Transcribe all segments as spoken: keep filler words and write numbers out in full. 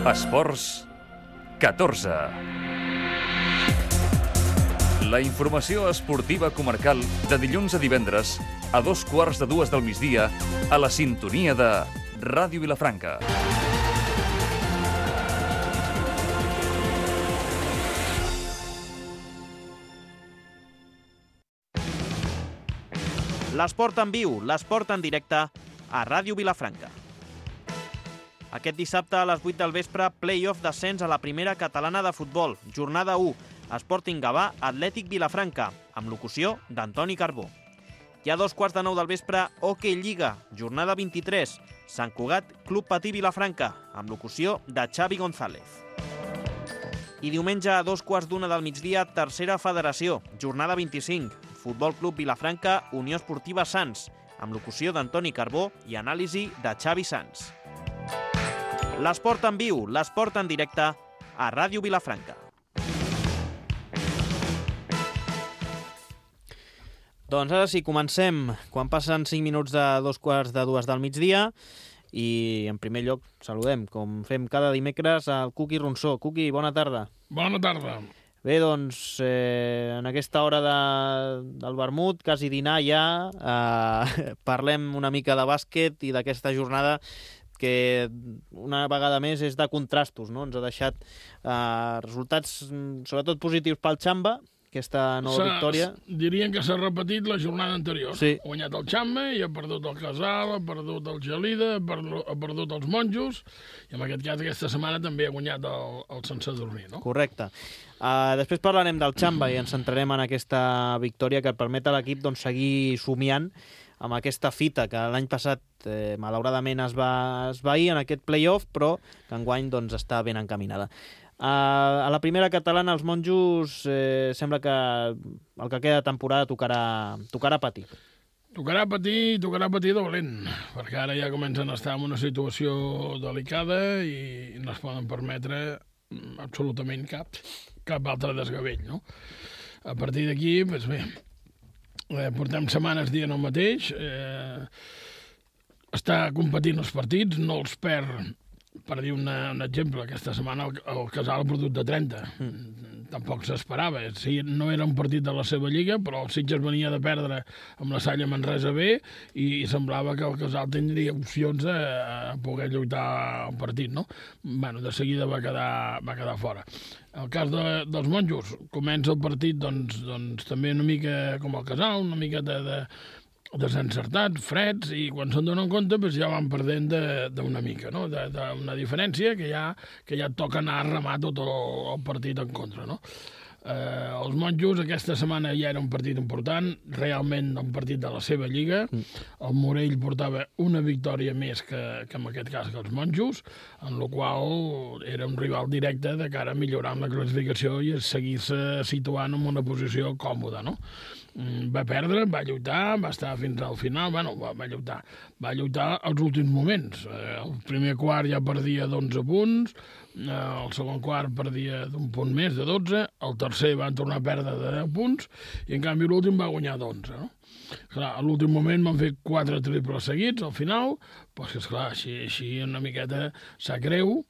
Esports catorze. La informació esportiva comarcal de dilluns a divendres a dos quarts de dues del migdia a la sintonia de Ràdio Vilafranca. L'esport en viu, l'esport en directe a Ràdio Vilafranca. Aquest dissabte a les vuit del vespre, play-off d'ascens a la primera catalana de futbol, jornada u, Sporting Gavà, Atlètic Vilafranca, amb locució d'Antoni Carbó. I a dos quarts de nou del vespre, Hockey Lliga, jornada vint-i-tres, Sant Cugat, Club Patí Vilafranca, amb locució de Xavi González. I diumenge a dos quarts d'una del migdia, tercera federació, jornada vint-i-cinc, Futbol Club Vilafranca, Unió Esportiva Sants, amb locució d'Antoni Carbó i anàlisi de Xavi Sans. L'esport en viu, l'esport en directe a Ràdio Vilafranca. Doncs ara sí, comencem. Quan passen cinc minuts de dos quarts de dues del migdia i en primer lloc saludem, com fem cada dimecres, al Cuqui Ronsó. Cuqui, bona tarda. Bona tarda. Bé, doncs, eh, en aquesta hora de, del vermut, quasi dinar ja, eh, parlem una mica de bàsquet i d'aquesta jornada que una vegada més és de contrastos, no? Ens ha deixat eh, resultats sobretot positius pel Xamba, aquesta nova victòria. Dirien que s'ha repetit la jornada anterior. Sí. Ha guanyat el Xamba i ha perdut el Casal, ha perdut el Gelida, ha perdut, ha perdut els Monjos, i en aquest cas aquesta setmana també ha guanyat el, el Sant Sadurní, no? Correcte. Uh, després parlarem del Xamba i ens centrarem en aquesta victòria que permet a l'equip doncs, seguir somiant amb aquesta fita que l'any passat eh, malauradament es va esvair en aquest play-off, però que enguany doncs, està ben encaminada. Uh, a la primera catalana els monjos eh, sembla que el que queda de temporada tocarà, tocarà patir. Tocarà patir, tocarà patir dolent, perquè ara ja comencen a estar en una situació delicada i no es poden permetre absolutament cap, cap altre desgavell, no? A partir d'aquí, doncs bé, eh, portem setmanes dient el mateix, eh, està competint els partits, no els perd. Per dir una, un exemple, aquesta setmana el, el Casal ha perdut de trenta. Mm. Tampoc s'esperava. Sí, no era un partit de la seva lliga, però el Sitges venia de perdre amb la Salla Manresa B i, i semblava que el Casal tindria opcions a, a poder lluitar el partit, no? Bueno, de seguida va quedar, va quedar fora. El cas de, dels monjos, comença el partit doncs, doncs, també una mica com el Casal, una mica de... de desencertats, freds, i quan se'n donen compte doncs ja van perdent d'una mica, no? D'una diferència que ja, que ja toca anar a remar tot el, el partit en contra, no? Eh, els monjos aquesta setmana ja era un partit important, realment un partit de la seva lliga. El Morell portava una victòria més que, que en aquest cas que els monjos, en la qual era un rival directe de cara a millorar en la classificació i a seguir-se situant en una posició còmoda, no? Va perdre, va lluitar, va estar fins al final, bueno, va, va lluitar, va lluitar als últims moments. El primer quart ja perdia d'onze punts, el segon quart perdia d'un punt més, de dotze, el tercer va tornar a perdre de deu punts, i en canvi l'últim va guanyar d'onze, no? Clar, a l'últim moment van fer quatre triples seguits, al final, doncs, esclar, així, així una miqueta sap greu,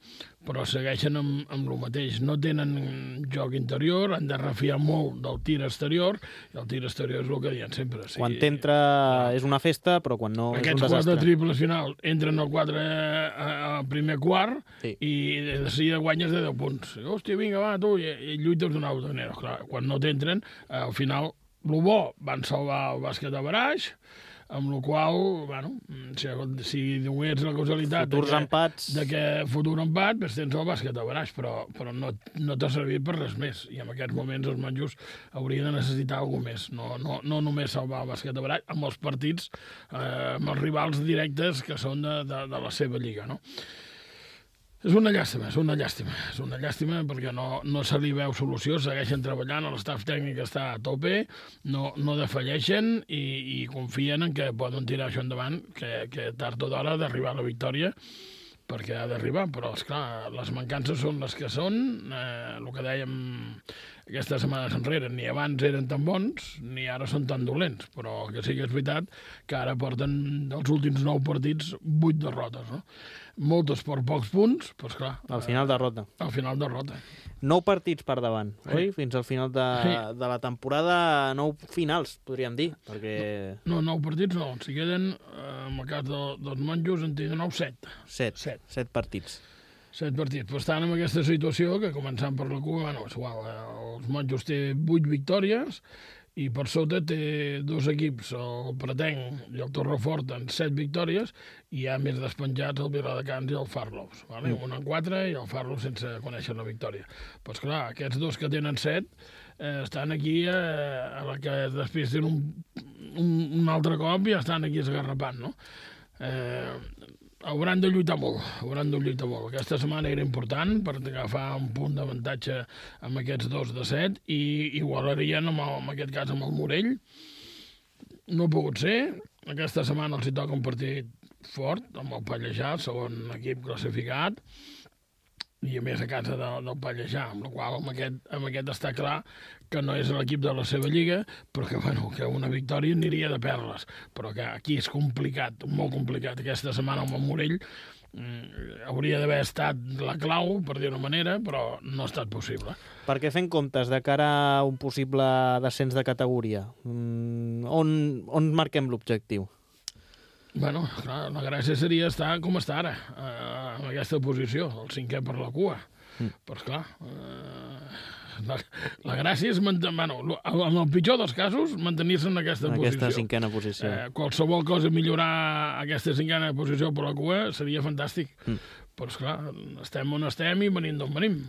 però segueixen amb, amb el mateix. No tenen joc interior, han de refiar molt del tir exterior, i el tir exterior és el que diuen sempre. Sí, quan t'entra és una festa, però quan no és un desastre. Aquests quatre triples final entren al quatre al primer quart, sí, i de seguida guanyes de deu punts. Hòstia, vinga, va, tu, i, i lluites d'una altra manera. Clar, quan no t'entren, al final, el bo van salvar el bàsquet a baraix, amb la qual, bueno, si, si donés la causalitat futurs de que, empats, de que futur empat, doncs tens el bàsquet a baraix, però, però no, no t'ha servit per res més. I en aquests moments els monjos haurien de necessitar alguna més. No, no, no només salvar el bàsquet a baraix, amb els partits, eh, amb els rivals directes que són de, de, de la seva lliga, no? És una llàstima, és una llàstima, és una llàstima perquè no, no se li veu solució, segueixen treballant, l'estaf tècnic està a tope, no, no defalleixen i, i confien en que poden tirar això endavant, que, que tard o d'hora d'arribar a la victòria perquè ha d'arribar, però, esclar, les mancances són les que són, eh, el que dèiem aquestes setmanes enrere, ni abans eren tan bons, ni ara són tan dolents, però que sí que és veritat que ara porten dels últims nou partits vuit derrotes, no? Moltes per pocs punts, però esclar... Al final derrota. Al final derrota. Nou partits per davant, sí. oi? Fins al final de, sí. de la temporada, nou finals, podríem dir, perquè... No, no nou partits no, si queden, eh, en el cas de, dels monjos, en tenen nou, set. Set, set. set partits. Set partits. Però estan en aquesta situació que, començant per la Cuba, bueno, és igual, eh, els monjos té vuit victòries, i per sota té dos equips, el Pretenc i el Torrefort, en set victòries, i hi ha més despenjats el Viladecans i el Farlows. Vale? Mm. Un en quatre i el Farlows sense conèixer la victòria. Però, esclar, aquests dos que tenen set eh, estan aquí, eh, a la que després tenen un, un, un altre cop i estan aquí esgarrapant, no? Eh, hauran de lluitar molt, hauran de lluitar molt. Aquesta setmana era important per agafar un punt d'avantatge amb aquests dos de set i igualarien, amb el, en aquest cas, amb el Morell. No ha pogut ser. Aquesta setmana els hi toca un partit fort, amb el Pallejà, segon equip classificat, i a més a casa de, del Pallejà, amb la qual amb aquest, amb aquest està clar que no és l'equip de la seva lliga, però que, bueno, que una victòria aniria de perles. Però que aquí és complicat, molt complicat. Aquesta setmana amb el Morell mm, hauria d'haver estat la clau, per dir-ho manera, però no ha estat possible. Perquè fent comptes de cara a un possible descens de categoria, mm, on, on marquem l'objectiu? Bueno, clar, la gràcia seria estar com està ara, eh, en aquesta posició, el cinquè per la cua. Mm. Però, esclar, eh, la, la gràcia és, mantenir, bueno, en el pitjor dels casos, mantenir-se en aquesta, en posició. aquesta cinquena posició. Eh, qualsevol cosa millorar aquesta cinquena posició per la cua seria fantàstic. Mm. Però, esclar, estem on estem i venim d'on venim.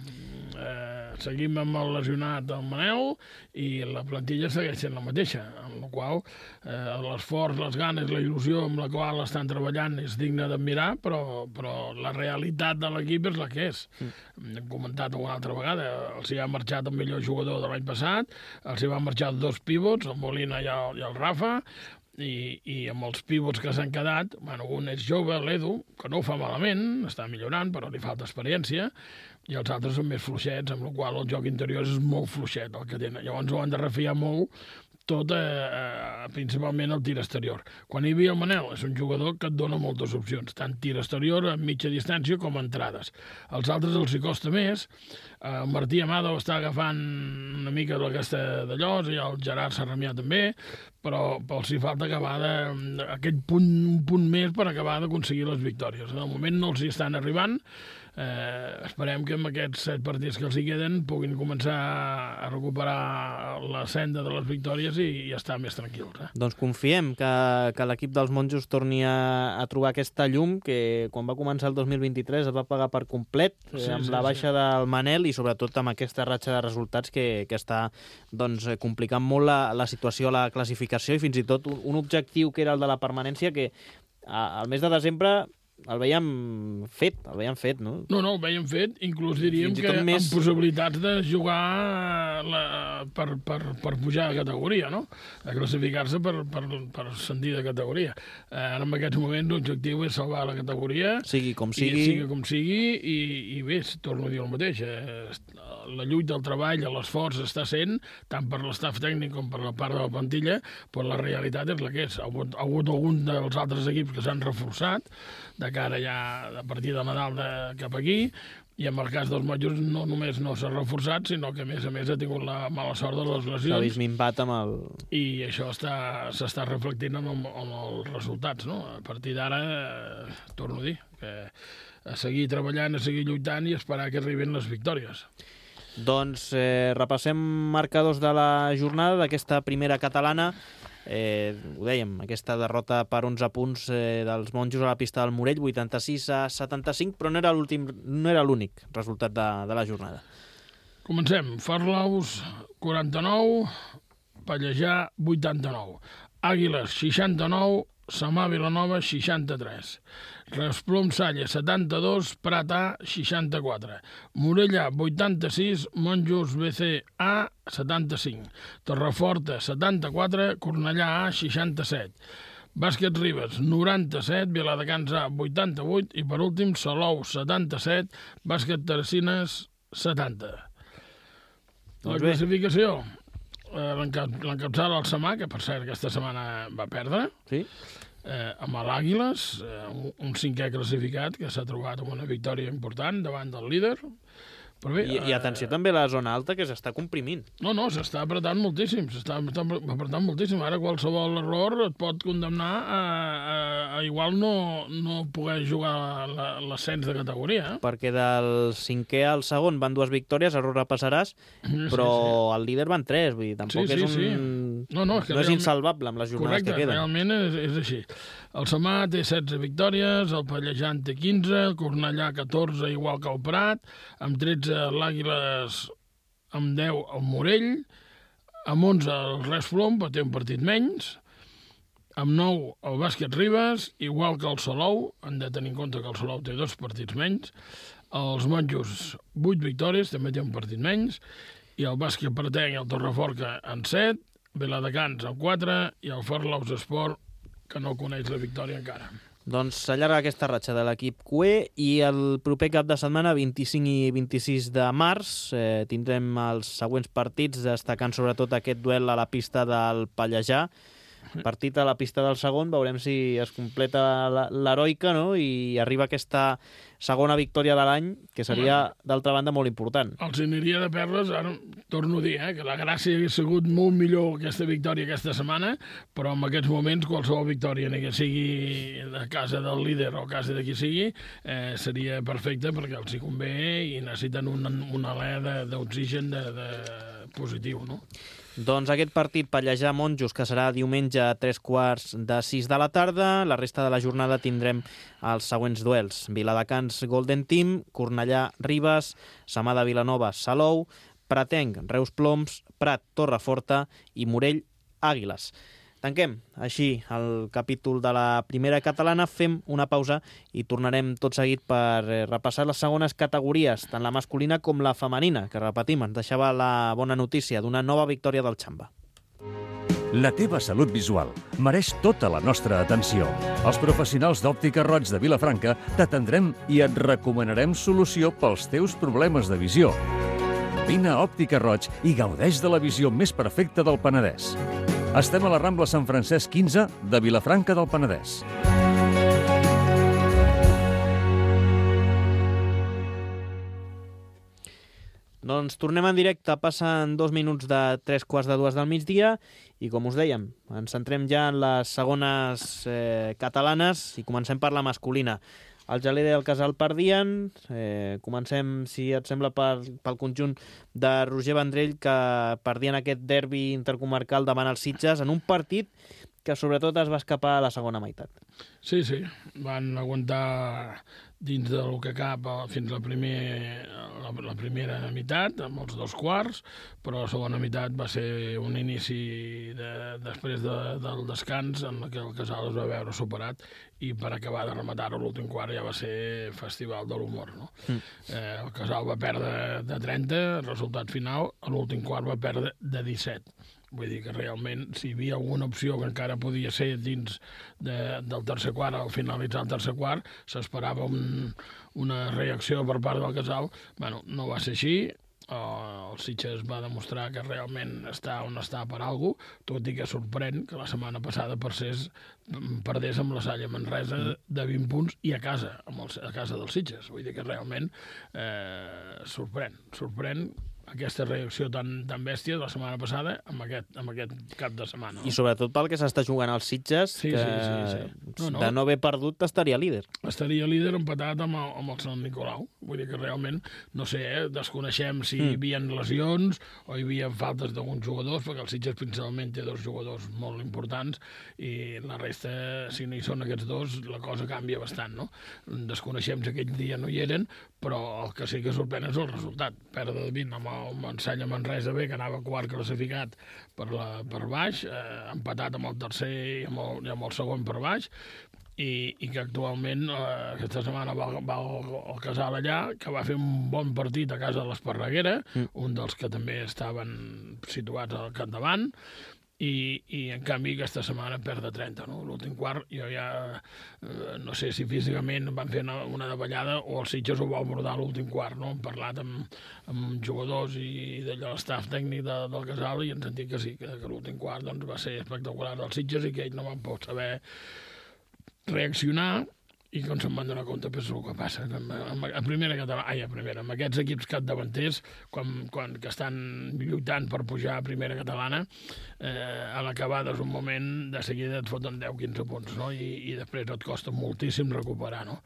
Eh, seguim amb el lesionat del Manel i la plantilla segueix sent la mateixa, amb la qual eh, l'esforç, les ganes, la il·lusió amb la qual estan treballant és digne d'admirar, però, però la realitat de l'equip és la que és. Mm. Hem comentat una altra vegada, els hi ha marxat el millor jugador de l'any passat, els hi van marxar dos pivots, el Molina i el, i el Rafa, i, i amb els pivots que s'han quedat, bueno, un és jove, l'Edu, que no ho fa malament, està millorant, però li falta experiència, i els altres són més fluixets, amb la qual el joc interior és molt fluixet el que tenen. Llavors ho han de refiar molt tot, eh, principalment el tir exterior. Quan hi havia el Manel, és un jugador que et dona moltes opcions, tant tir exterior a mitja distància com a entrades. Els altres els hi costa més. El Martí Amado està agafant una mica d'aquesta d'allò, i el Gerard Sarramià també, però els hi falta acabar de, aquest punt, un punt més per acabar d'aconseguir les victòries. De moment no els hi estan arribant. Eh, esperem que amb aquests set partits que els hi queden puguin començar a recuperar la senda de les victòries i, i estar més tranquils. Eh? Doncs confiem que, que l'equip dels monjos torni a, a trobar aquesta llum que quan va començar el dos mil vint-i-tres es va pagar per complet, sí, eh, amb sí, la baixa sí. del Manel i sobretot amb aquesta ratxa de resultats que, que està doncs, complicant molt la, la situació a la classificació i fins i tot un, un objectiu que era el de la permanència que a, al mes de desembre el veiem fet, el veiem fet, no? No, no, el veiem fet, inclús diríem que més... amb possibilitats de jugar la, per, per, per pujar de categoria, no? De classificar-se per, per, per ascendir de categoria. Eh, ara en aquests moments l'objectiu és salvar la categoria, sigui com sigui, i, sigui com sigui i, i bé, torno a dir el mateix, eh, la lluita, el treball, l'esforç està sent, tant per l'estaf tècnic com per la part de la plantilla, però la realitat és la que és. Ha hagut, ha hagut algun dels altres equips que s'han reforçat, de cara ja a partir de Nadal de, cap aquí, i en el cas dels monjos no només no s'ha reforçat, sinó que a més a més ha tingut la mala sort de les lesions. S'ha vist minvat amb el... I això s'està reflectint en, el, en els resultats, no? A partir d'ara, eh, torno a dir, que a seguir treballant, a seguir lluitant i esperar que arribin les victòries. Doncs eh, repassem marcadors de la jornada d'aquesta primera catalana. Eh, ho dèiem, aquesta derrota per onze punts eh, dels monjos a la pista del Morell, vuitanta-sis a setanta-cinc, però no era l'últim, no era l'únic resultat de, de la jornada. Comencem. Farlaus, quaranta-nou, Pallejà, vuitanta-nou. Àguiles, seixanta-nou, Samà Vilanova, seixanta-tres. Resplom Salle, setanta-dos, Prat A, seixanta-quatre. Morella, vuitanta-sis, Monjos B C A, setanta-cinc. Torreforta, setanta-quatre, Cornellà A, seixanta-set. Bàsquet Ribes, noranta-set, Viladecans A, vuitanta-vuit, i per últim, Salou, setanta-set, Bàsquet Tercines, setanta. La Doncs bé. classificació, eh, l'encapçala el Samà, que per cert aquesta setmana va perdre, Sí? eh, amb l'Àguiles, eh, un, un cinquè classificat que s'ha trobat amb una victòria important davant del líder. Però bé, I, I atenció també a la zona alta, que s'està comprimint. No, no, s'està apretant moltíssim, s'està apretant moltíssim. Ara qualsevol error et pot condemnar a, a, a igual no, no poder jugar l'ascens de categoria. Eh? Perquè del cinquè al segon van dues victòries, ara ho repassaràs, Sí, però sí. el líder van tres, vull dir, tampoc Sí, sí, és un... sí. No, no, és que no és realment- insalvable amb les jornades Correcte, que queden. realment és, és així. El Samà té setze victòries, el Pallejà en té quinze, el Cornellà catorze, igual que el Prat, amb tretze l'Àguiles, amb deu el Morell, amb onze el Res Flom, però té un partit menys, amb nou el Bàsquet Ribes, igual que el Salou, han de tenir en compte que el Salou té dos partits menys, els Monjos vuit victòries, també té un partit menys, i el Bàsquet Pratenc i el Torreforca en set, Viladecans en quatre i el Farlaus Esport, que no coneix la victòria encara. Doncs s'allarga aquesta ratxa de l'equip Q E i el proper cap de setmana, vint-i-cinc i vint-i-sis de març, eh, tindrem els següents partits, destacant sobretot aquest duel a la pista del Pallejà. Partit a la pista del segon, veurem si es completa la- l'heroica, no? I arriba aquesta segona victòria de l'any, que seria, d'altra banda, molt important. Els aniria de perles, ara torno a dir, eh, que la gràcia hagués sigut molt millor aquesta victòria aquesta setmana, però en aquests moments qualsevol victòria, ni que sigui a casa del líder o a casa de qui sigui, eh, seria perfecta perquè els hi convé i necessiten un, un alè d'oxigen de, de positiu, no? Doncs aquest partit Pallejà-Monjos, que serà diumenge a tres quarts de sis de la tarda. La resta de la jornada tindrem els següents duels. Viladecans Golden Team, Cornellà Ribes, Samà de Vilanova Salou, Pratenc Reus Ploms, Prat Torreforta i Morell Àguiles. Tanquem així el capítol de la primera catalana, fem una pausa i tornarem tot seguit per repassar les segones categories, tant la masculina com la femenina, que repetim, ens deixava la bona notícia d'una nova victòria del Xamba. La teva salut visual mereix tota la nostra atenció. Els professionals d'Òptica Roig de Vilafranca t'atendrem i et recomanarem solució pels teus problemes de visió. Vine a Òptica Roig i gaudeix de la visió més perfecta del Penedès. Estem a la Rambla Sant Francesc quinze de Vilafranca del Penedès. Doncs tornem en directe, passen dos minuts de tres quarts de dues del migdia i, com us dèiem, ens centrem ja en les segones eh, catalanes i comencem per la masculina. El Gelé del Casal perdien, eh, comencem, si et sembla, per, pel conjunt de Roger Vendrell, que perdien aquest derbi intercomarcal davant els Sitges en un partit que sobretot es va escapar a la segona meitat. Sí, sí, van aguantar dins del que cap fins la, primer, la, la primera meitat, amb els dos quarts, però la segona meitat va ser un inici de, després de, del descans en què el Casal es va veure superat i per acabar de rematar-ho l'últim quart ja va ser festival de l'humor. No? Mm. Eh, el Casal va perdre de trenta, el resultat final, a l'últim quart va perdre de disset. Vull dir que realment, si hi havia alguna opció que encara podia ser dins de, del tercer quart, al finalitzar el tercer quart, s'esperava un, una reacció per part del Casal. Bueno, no va ser així. El Sitges va demostrar que realment està on està per alguna cosa, tot i que sorprèn que la setmana passada perdés, perdés amb la Salle Manresa de vint punts i a casa, amb el, a casa dels Sitges. Vull dir que realment eh, sorprèn, sorprèn aquesta reacció tan, tan bèstia de la setmana passada amb aquest, amb aquest cap de setmana. No? I sobretot pel que s'està jugant als Sitges, sí, que sí, sí, sí. No, no. de no haver perdut estaria líder. Estaria líder empatat amb el, amb el Sant Nicolau. Vull dir que realment, no sé, eh, desconeixem si mm. hi havia lesions o hi havia faltes d'alguns jugadors, perquè el Sitges principalment té dos jugadors molt importants i la resta, si no hi són aquests dos, la cosa canvia bastant, no? Desconeixem si aquell dia no hi eren, però el que sí que sorprèn és el resultat. Perdre de vint amb el Marsella Manresa B, que anava quart classificat per, la, per baix, eh, empatat amb el tercer i amb el, i amb el segon per baix, i, i que actualment eh, aquesta setmana va, va el, el Casal allà, que va fer un bon partit a casa de l'Esparreguera, mm. un dels que també estaven situats al capdavant, i, i en canvi aquesta setmana perd de trenta, no? L'últim quart jo ja eh, no sé si físicament van fer una, una davallada o el Sitges ho va abordar l'últim quart, no? Hem parlat amb, amb jugadors i d'allò l'estaf tècnic de, del Casal i ens han dit que sí, que, que l'últim quart doncs, va ser espectacular del Sitges i que ells no van poder saber reaccionar i com se'n van donar compte, és el que passa. A primera catalana, ai, a primera, amb aquests equips capdavanters, quan, quan que estan lluitant per pujar a primera catalana, eh, a l'acabada és un moment, de seguida et foten deu quinze punts, no? I, i després et costa moltíssim recuperar, no?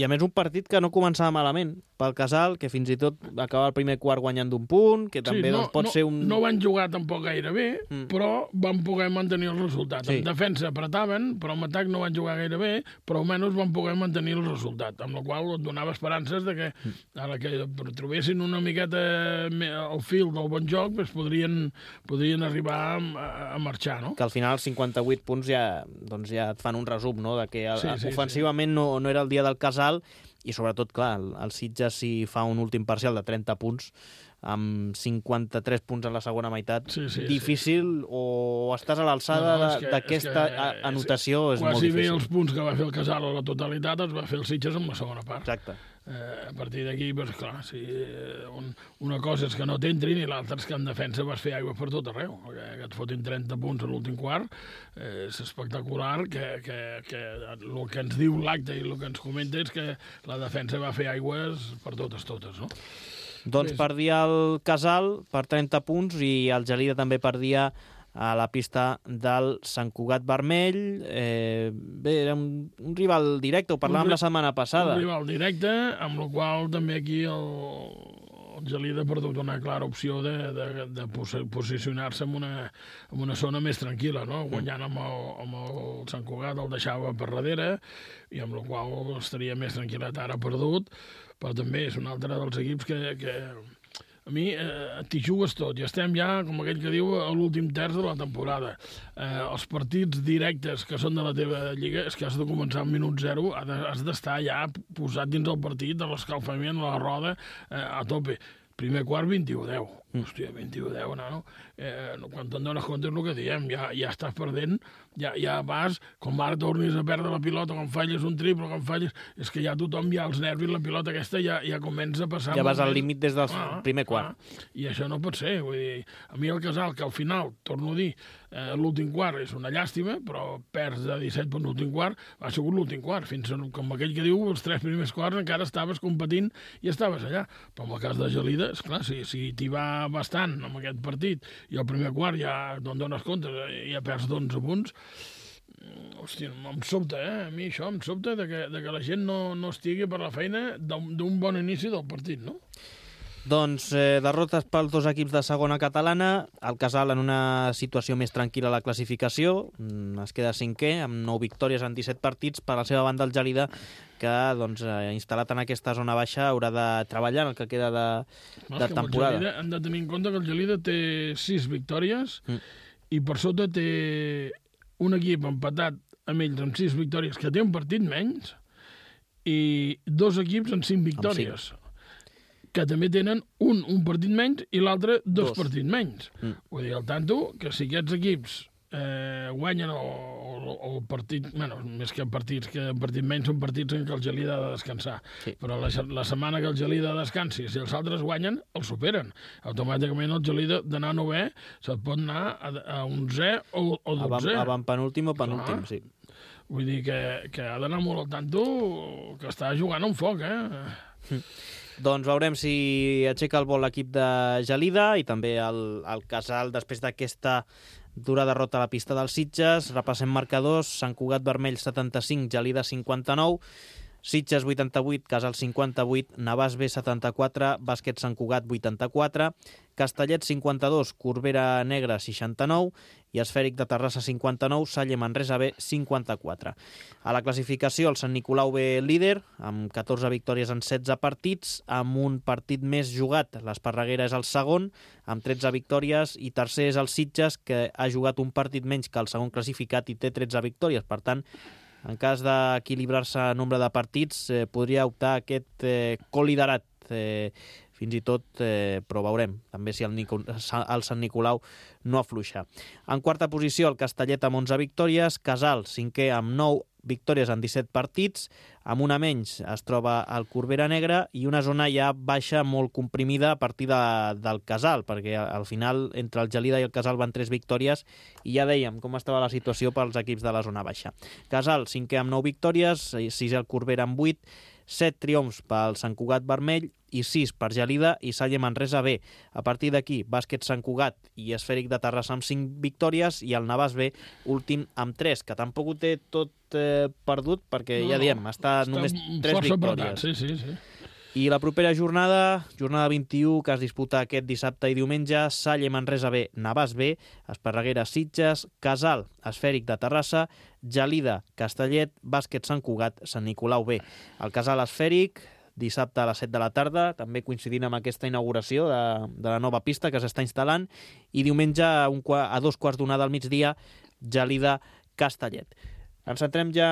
I a més un partit que no començava malament pel Casal, que fins i tot acaba el primer quart guanyant d'un punt, que també sí, no, doncs, pot no, ser un... No van jugar tampoc gaire bé, mm. però van poder mantenir el resultat. Sí. En defensa apretaven, però en atac no van jugar gaire bé, però almenys van poder mantenir el resultat, amb la qual et donava esperances de que, a la que trobessin una miqueta al fil del bon joc, doncs podrien, podrien arribar a, a marxar, no? Que al final els cinquanta-vuit punts ja, doncs ja et fan un resum, no?, de que el, sí, sí, ofensivament sí. no, no era el dia del Casal i sobretot, clar, el, el Sitges si fa un últim parcial de trenta punts amb cinquanta-tres punts en la segona meitat, sí, sí, difícil, sí. o estàs a l'alçada no, no, d'aquesta anotació, és, és molt difícil. Quasi bé els punts que va fer el Casal a la totalitat els va fer el Sitges en la segona part. Exacte. Eh, a partir d'aquí, doncs, clar, sí, un, una cosa és que no t'entrin i l'altra és que en defensa vas fer aigua per tot arreu. Que, que et fotin trenta punts a l'últim quart eh, és espectacular, que, que, que el que ens diu l'acte i el que ens comenta és que la defensa va fer aigües per totes, totes, no? Doncs perdia el Casal per trenta punts i el Gelida també perdia a la pista del Sant Cugat Vermell. Eh, bé, era un, un rival directe, ho parlàvem la setmana passada. Un rival directe, amb el qual també aquí el, el Gelida ha perdut una clara opció de, de, de posicionar-se en una, en una zona més tranquil·la, no? Guanyant amb el, amb el Sant Cugat el deixava per darrere i amb el qual estaria més tranquil·let. Ara perdut, però també és un altre dels equips que, que a mi eh, t'hi jugues tot i estem ja, com aquell que diu, a l'últim terç de la temporada. Eh, els partits directes que són de la teva lliga és que has de començar al minut zero, has d'estar ja posat dins el partit, de l'escalfament, la roda, eh, a tope. Primer quart, vint-i-u a deu. Mm. Hòstia, vint-i-u a deu, nano. Eh, quan te'n dones compte és el que diem, ja, ja estàs perdent, ja, ja vas, com ara tornis a perdre la pilota, quan falles un triple, quan falles... És que ja tothom, ja els nervis, la pilota aquesta ja, ja comença a passar... Ja vas al límit des del ah, primer quart. Ah, I això no pot ser, vull dir, a mi el Casal, que al final, torno a dir, eh, l'últim quart és una llàstima, però perds de disset per l'últim quart, ha sigut l'últim quart, fins a, com aquell que diu, els tres primers quarts encara estaves competint i estaves allà. Però en el cas de Gelida, esclar, si, si t'hi va bastant amb aquest partit i el primer quart ja no en dones compte, ja perds d'onze punts, hòstia, em sobta, eh? A mi això em sobta de que, de que la gent no, no estigui per la feina d'un bon inici del partit, no? Doncs eh, derrotes pels dos equips de segona catalana, el Casal en una situació més tranquil·la a la classificació, es queda cinquè amb nou victòries en disset partits. Per la seva banda el Gelida, que doncs, eh, instal·lat en aquesta zona baixa, haurà de treballar en el que queda de, de temporada. Gelida, hem de tenir en compte que el Gelida té sis victòries mm. i per sota té un equip empatat amb ells amb sis victòries que té un partit menys i dos equips amb cinc victòries. Amb cinc. Que també tenen un, un partit menys i l'altre dos, dos partits menys. Mm. Vull dir, al tanto, que si aquests equips eh, guanyen el, el partit, bueno, més que partits que partit menys són partits en què el Gelida ha de descansar. Sí. Però la, la setmana que el Gelida descansi, si els altres guanyen, el superen. Automàticament el Gelida d'anar a novè se't pot anar a, a onzè o, o dotzè. Avant penúltim o penúltim, ah. sí. Vull dir que, que ha d'anar molt al tanto, que està jugant un foc, eh? Mm. Doncs veurem si aixeca el vol l'equip de Gelida i també el, el Casal després d'aquesta dura derrota a la pista dels Sitges. Repassem marcadors: Sant Cugat Vermell setanta-cinc, Gelida cinquanta-nou, Sitges vuitanta-vuit, Casal cinquanta-vuit, Navàs B setanta-quatre, Bàsquet Sant Cugat vuitanta-quatre, Castellet cinquanta-dos, Corbera Negra seixanta-nou i Esfèric de Terrassa cinquanta-nou, Salle Manresa B cinquanta-quatre. A la classificació el Sant Nicolau B líder amb catorze victòries en setze partits, amb un partit més jugat. L'Esparreguera és el segon amb tretze victòries i tercer és el Sitges, que ha jugat un partit menys que el segon classificat i té tretze victòries. Per tant, en cas d'equilibrar-se el nombre de partits, eh, podria optar a aquest eh, coliderat. Eh, fins i tot, eh, però veurem, també si el, Nico, el Sant Nicolau no afluixa. En quarta posició, el Castellet amb onze victòries, Casal, cinquè amb nou victòries en disset partits, amb una menys es troba el Corbera Negra i una zona ja baixa molt comprimida a partir de, del Casal, perquè al final entre el Gelida i el Casal van tres victòries i ja dèiem com estava la situació pels equips de la zona baixa. Casal, cinquè amb nou victòries, sisè el Corbera amb vuit, set triomfs pel Sant Cugat Vermell i sis per Gelida i Salle Manresa B. A partir d'aquí, Bàsquet Sant Cugat i Esfèric de Terrassa amb cinc victòries i el Navàs B últim amb tres, que tampoc ho té tot eh, perdut perquè no, ja diem, està, està només tres victòries. Sí, sí, sí. I la propera jornada, jornada vint-i-u, que es disputa aquest dissabte i diumenge, Salle Manresa B, Navàs B, Esparreguera Sitges, Casal, Esfèric de Terrassa, Gelida, Castellet, Bàsquet Sant Cugat, Sant Nicolau B. El Casal Esfèric, dissabte a les set de la tarda, també coincidint amb aquesta inauguració de, de la nova pista que s'està instal·lant, i diumenge a, un, a dos quarts d'una del migdia, Gelida, Castellet. Ens centrem ja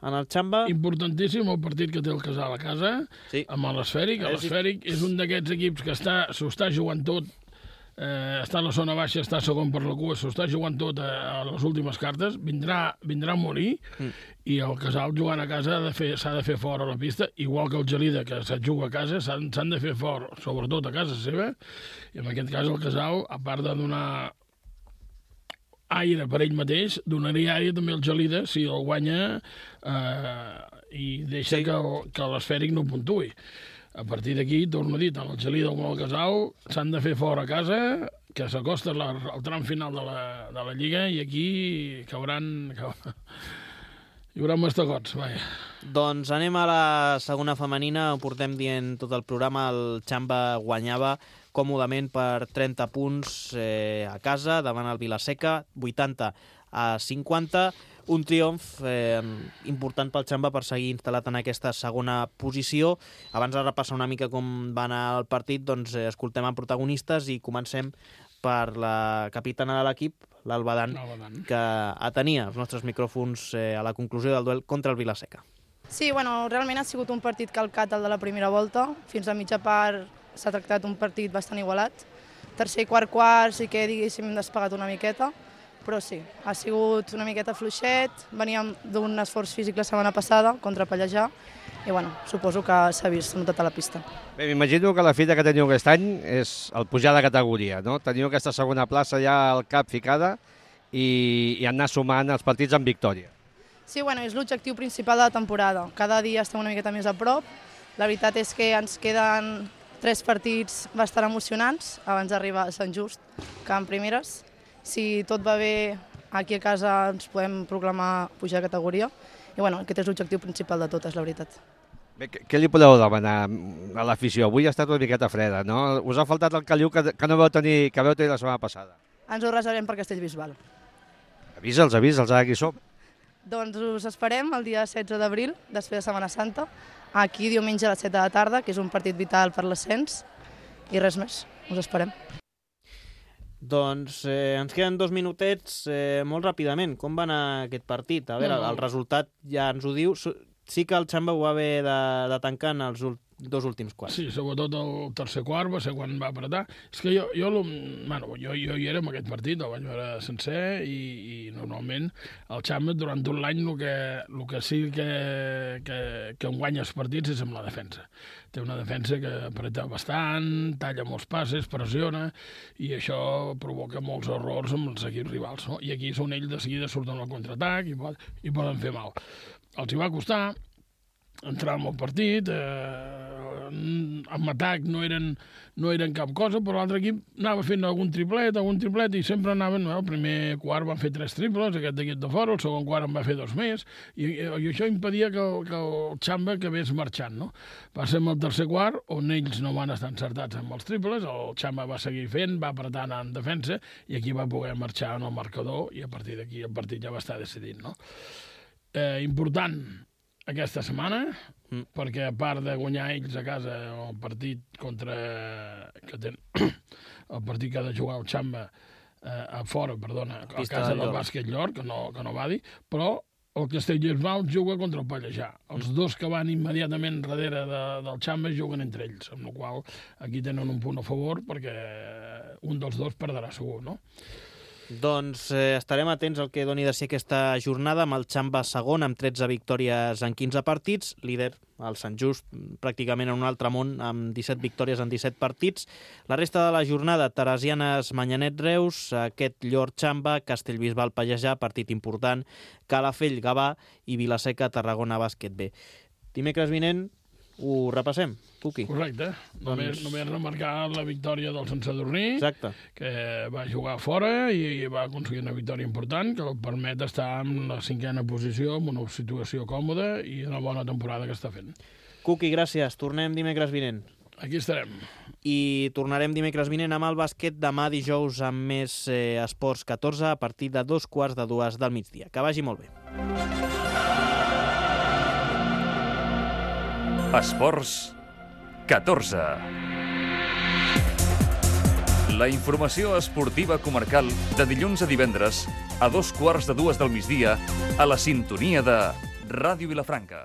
en el Xamba. Importantíssim el partit que té el Casal a casa, sí, amb l'Esfèric. L'Esfèric és un d'aquests equips que està, s'ho està jugant tot, eh, està a la zona baixa, està segon per la cua, s'ho està jugant tot a, a les últimes cartes, vindrà, vindrà a morir, mm. i el Casal jugant a casa s'ha de, fer, de fer fora a la pista, igual que el Gelida, que se't juga a casa, s'han de fer fora, sobretot a casa seva, i en aquest cas el Casal, a part de donar aire per ell mateix, donaria aire també al Gelida si el guanya eh, i deixa sí. que, que l'Esfèric no puntui. A partir d'aquí, torno a dir, tant el Gelida com el Casal s'han de fer fora a casa, que s'acosta al tram final de la, de la Lliga i aquí cauran... cauran hi haurà mastegots, vaja. Doncs anem a la segona femenina, ho portem dient tot el programa, el Xamba guanyava còmodament per trenta punts eh, a casa, davant el Vilaseca, vuitanta a cinquanta, un triomf eh, important pel Xamba per seguir instal·lat en aquesta segona posició. Abans de repassar una mica com va anar el partit, doncs eh, escoltem a protagonistes i comencem per la capitana de l'equip, l'Alba Dan, que atenia els nostres micròfons eh, a la conclusió del duel contra el Vilaseca. Sí, bueno, realment ha sigut un partit calcat el de la primera volta. Fins a mitja part s'ha tractat un partit bastant igualat. Tercer i quart quart sí que, diguéssim, hem despegat una miqueta, però sí, ha sigut una miqueta fluixet. Veníem d'un esforç físic la setmana passada contra Pallejà i, bueno, suposo que s'ha vist, s'ha notat a la pista. Bé, m'imagino que la fita que teniu aquest any és el pujar de categoria, no? Teniu aquesta segona plaça ja al cap ficada i, i anar sumant els partits amb victòria. Sí, bueno, és l'objectiu principal de la temporada. Cada dia estem una miqueta més a prop. La veritat és que ens queden tres partits bastant emocionants abans d'arribar a Sant Just, que en primeres. Si tot va bé, aquí a casa ens podem proclamar pujar de categoria. I bueno, aquest és l'objectiu principal de tot, és la veritat. Bé, què li podeu demanar a l'afició? Avui ha estat una miqueta freda, no? Us ha faltat el caliu que, que no vau tenir, que vau tenir la setmana passada. Ens ho reservem per Castellbisbal. Avisa'ls, avisa'ls, ara qui som. Doncs us esperem el dia setze d'abril, després de Setmana Santa, aquí diumenge a les set de la tarda, que és un partit vital per l'ascens, i res més, us esperem. Doncs eh, ens queden dos minutets eh, molt ràpidament. Com va anar aquest partit? A veure, no, no. El resultat ja ens ho diu. Sí que el Xamba ho va haver de, de tancar en els dos últims quarts. Sí, sobretot el tercer quart va ser quan va apretar. És que jo, jo, bueno, jo, jo hi era en aquest partit, el vaig veure sencer i, i normalment el Xamba durant tot l'any el que, el que sí que, que, que en guanya els partits és amb la defensa. Té una defensa que apreta bastant, talla molts passes, pressiona, i això provoca molts errors amb els equips rivals, no? I aquí són ells de seguida surten al contraatac i, pot, i poden fer mal. Els hi va costar entrar en el partit, eh, en atac no eren, no eren cap cosa, però l'altre equip anava fent algun triplet, algun triplet, i sempre anaven, no? El primer quart van fer tres triples, aquest equip de fora, el segon quart en va fer dos més, i, i això impedia que, que el Xamba acabés marxant, no? Va ser amb el tercer quart, on ells no van estar encertats amb els triples, el Xamba va seguir fent, va apretant en defensa, i aquí va poder marxar en el marcador, i a partir d'aquí el partit ja va estar decidit, no? Eh, important aquesta setmana, mm. perquè a part de guanyar ells a casa el partit contra... que ten... el partit que ha de jugar el Xamba eh, a fora, perdona, a casa del Bàsquet Llor, que no, que no va dir, però el Castelldefels juga contra el Pallejà. Els dos que van immediatament darrere de, del Xamba juguen entre ells, amb la qual aquí tenen un punt a favor perquè un dels dos perdrà segur, no? Doncs eh, estarem atents al que doni de si aquesta jornada, amb el Xamba segon amb tretze victòries en quinze partits, líder el Sant Just pràcticament en un altre món amb disset victòries en disset partits. La resta de la jornada, Teresianes, Manyanet, Reus, aquest Llor, Xamba, Castellbisbal, Pallejà, partit important, Calafell, Gavà i Vilaseca, Tarragona, Bàsquet B. Dimecres vinent ho repassem, Cuqui. Correcte. Només, doncs... només remarcar la victòria del Sant Sadurní, exacte, que va jugar fora i va aconseguir una victòria important que el permet estar en la cinquena posició, en una situació còmoda i una bona temporada que està fent. Cuqui, gràcies. Tornem dimecres vinent. Aquí estarem. I tornarem dimecres vinent amb el bàsquet demà dijous amb més eh, Esports catorze a partir de dos quarts de dues del migdia. Que vagi molt bé. Esports catorze. La informació esportiva comarcal de dilluns a divendres a dos quarts de dues del migdia a la sintonia de Ràdio Vilafranca.